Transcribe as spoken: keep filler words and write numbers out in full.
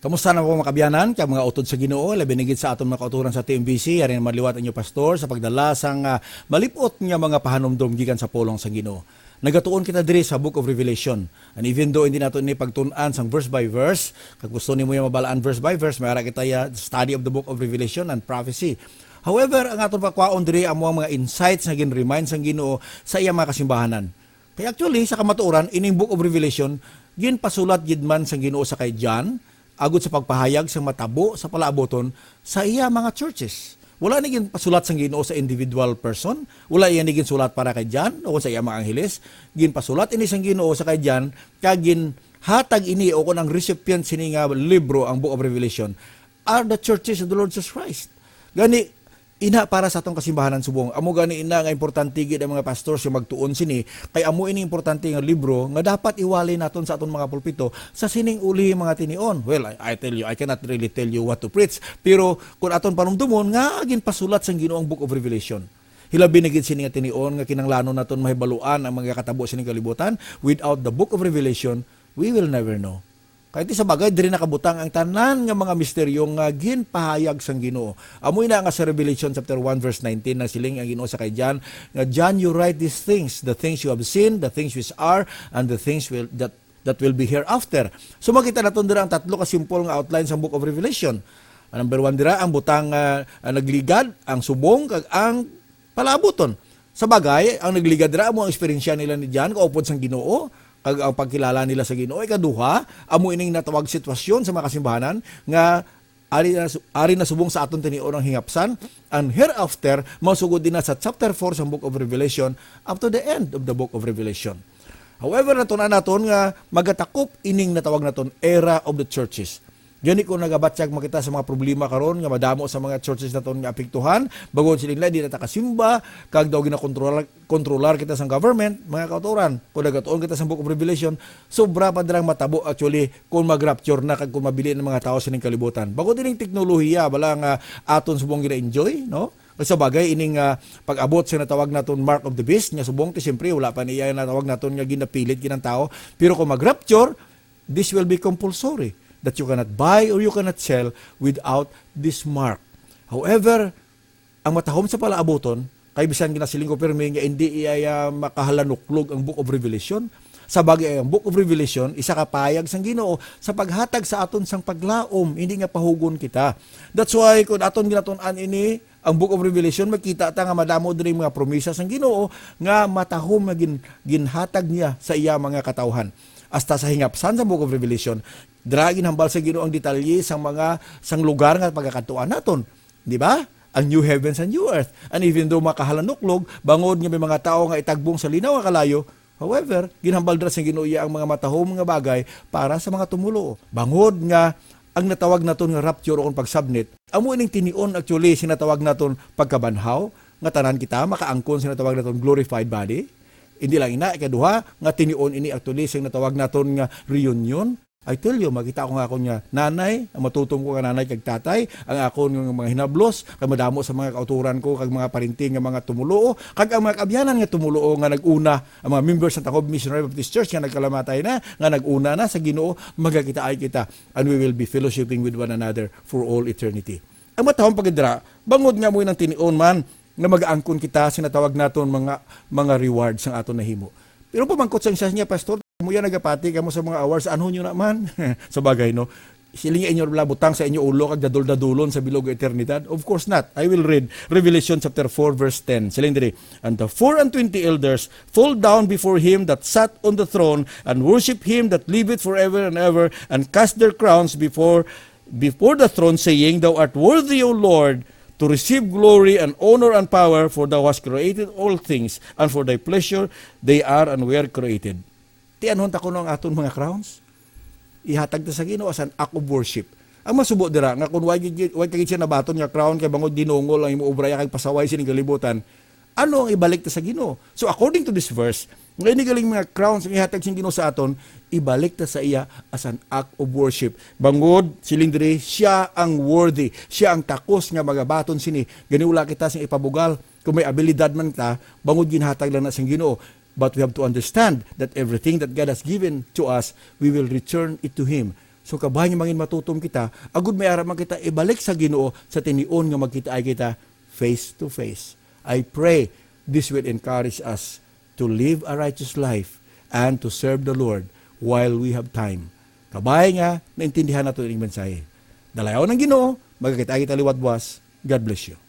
Kamusta na po, mga kabyanan, kag mga utod sa Ginoo, labi na gid sa aton mga kauturan sa T M B C? Yari naman liwat ang inyo pastor sa pagdala sang, ah, malip-ot nga mga pahanumdom gikan sa pulong sa Ginoo. Nagatuon kita diri sa Book of Revelation. And even though hindi nato ini pagtun-an sang verse by verse, kag gusto nimo yung mabalaan verse by verse, may ara kita ya study of the Book of Revelation and prophecy. However, ang aton pakwaon diri amo ang mga insights nga gin-remind sang Ginoo sa iya mga kasimbahanan. Kay actually, sa kamatuoran, ining Book of Revelation, ginpasulat gid man sang Ginoo sa kay John, agud sa pagpahayag sang matabo sa palaabuton sa iya mga churches. Wala ni ginpasulat sang Ginoo sa individual person, wala iya ni ginsulat para kay John o sa iya mga angheles. Ginpasulat ini sang Ginoo sa kay John, kag ginhatag ini o kon ang recipient sini nga libro, ang Book of Revelation, are the churches of the Lord Jesus Christ. Gani, ina para sa atong kasimbahanan subong. Amo gani ina nga importante gid ang mga pastors nga magtuon sini, kay amo ini importante nga libro nga dapat iwali naton sa aton mga pulpito sa sining uli mga tinion. Well, I, I tell you, I cannot really tell you what to preach. Pero kung aton panumdumon nga ginpasulat sang Ginoo ang Book of Revelation, hilabi na gid sini nga tinion nga kinahanglanon naton mahibaluan ang mga katabo sining kalibutan. Without the Book of Revelation, we will never know. Kay ti sa bagay, diri nakabutang ang tanan nga mga misteryo nga ginpahayag sang Ginoo. Amo ina nga sa Revelation chapter one verse nineteen, nagsiling ang Ginoo sa kay John, nga, "John, you write these things, the things you have seen, the things which are, and the things will, that, that will be hereafter." So, makita naton dira ang tatlo ka simple nga outline sang Book of Revelation. Ang number one dira, ang butang, ah, ah, nagligad, ang subong, kag ang palaabuton. Sa bagay, ang nagligad dira amo ang eksperyensya nila ni John kaupod sang Ginoo, kag ang pagkilala nila sa Ginoo. Ikaduha, amo ining natawag sitwasyon sa mga kasimbahanan nga ari na, ari na subong sa aton tinion ang hingapsan, and hereafter, masugod din na sa chapter four sa Book of Revelation up to the end of the Book of Revelation. However, natun-an naton nga magatakop ining natawag naton era of the churches. Gani, kung nagabatyag man kita sa mga problema karon nga madamo sa mga churches naton nga apektuhan, bangod siling nila, di na ta kasimba, kag daw ginakontrolar, kontrolar kita sang government, mga kautoran. Kung nagatuon kita sa Book of Revelation, sobra pa dirang matabo actually kung mag-rapture na kag kung mabili ang mga tao sining kalibutan. Bangod ining teknolohiya, bala nga aton subong gina-enjoy, no? Kay sa bagay, ining, ah, pag-abot sa natawag naton mark of the beast, nga subong ti siyempre wala pa niya natawag naton nga ginapilit ginang tao. Pero kung mag-rapture, this will be compulsory, that you cannot buy or you cannot sell without this mark. However, ang matahom sa palaabuton, kay bisan ginasiling ko pirmi nga hindi iya, ah, makahalanuklog ang Book of Revelation. Sa bagay, ang Book of Revelation, isa ka payag sang Ginoo sa paghatag sa aton sang paglaom, hindi nga pahugon kita. That's why, kung aton ginatun-an ini, ang Book of Revelation, makita ta nga madamo diri mga promesa sang Ginoo nga matahom nga gin-, ginhatag niya sa iya mga katawhan. Hasta sa hingapsan sa Book of Revelation, dira ginhambal sa Ginoo ang detalye sang mga, sang lugar nga pagakadtuan naton. Di ba? Ang new heavens and new earth. And even though makahalanuklog, bangod nga may mga tawo nga itagbong sa linaw nga kalayo, however, ginhambal dira sa Ginoo iya ang mga matahom nga bagay para sa mga tumuluo. Bangod nga ang natawag naton nga rapture o kung pagsabnit, amo ining tinion actually sa natawag naton pagkabanhaw, nga tanan kita makaangkon sa natawag naton glorified body. Hindi lang ina, ikaduha, nga tinion ini actually sa natawag naton nga reunion. I tell you, makita ko nga akon nga nanay, ang matutom ko nga nanay kag tatay, ang akon nga mga hinablos, kag madamo sa mga kauturan ko, kag mga parinti nga mga tumuluo, kag ang mga kaabyanan nga tumuluo nga nag-una, ang mga members sa Tacob Missionary Baptist Church nga nagkalamatay na, nga nag-una na sa Ginoo, magakitaay kita, and we will be fellowshipping with one another for all eternity. Ang matahom pa gid dira, bangod nga mo nang tinion man, nga mag-angkon kita sa natawag naton mga, mga rewards ang aton nahimo. Pero pamangkot sang isa niya, "Pastor, mo yan nagapati kamo sa mga awards, ano nyo naman?" Sa bagay, no? Siling niya, "Inyo bala butang sa inyo ulo kag dadol-dadulon sa bilog nga eternidad?" Of course not. I will read Revelation chapter four, verse ten. Siling diri, "And the four and twenty elders fall down before him that sat on the throne and worship him that liveth forever and ever, and cast their crowns before, before the throne, saying, 'Thou art worthy, O Lord, to receive glory and honor and power, for thou hast created all things, and for thy pleasure they are and were created.'" Tianhon ta kuno ang aton mga crowns. Ihatag ta sa Ginoo as an act of worship. Ang masubo dira nga kung way gid, way ka gid siya nabaton nga crown kay bangod dinungol ang imo obra ya kag pasaway sining kalibutan, ano ang ibalik ta sa Ginoo? So, according to this verse, nga ini galing mga crowns nga ihatag sing Ginoo sa aton, ibalik ta sa iya as an act of worship. Bangod, siling diri, siya ang worthy, siya ang takos nga magabaton sini. Gani wala kita sing ipabugal kung may abilidad man ta, bangod ginhatag lang na sang Ginoo. But we have to understand that everything that God has given to us, we will return it to Him. So, kabay nga mangin matutom kita, agud may ara man kita ibalik sa Ginoo sa tinion nga magkitaay kita face to face. I pray this will encourage us to live a righteous life and to serve the Lord while we have time. Kabay nga naintindihan nato ining mensahe. Dalayawon ang Ginoo, magkakita kita liwat buwas. God bless you.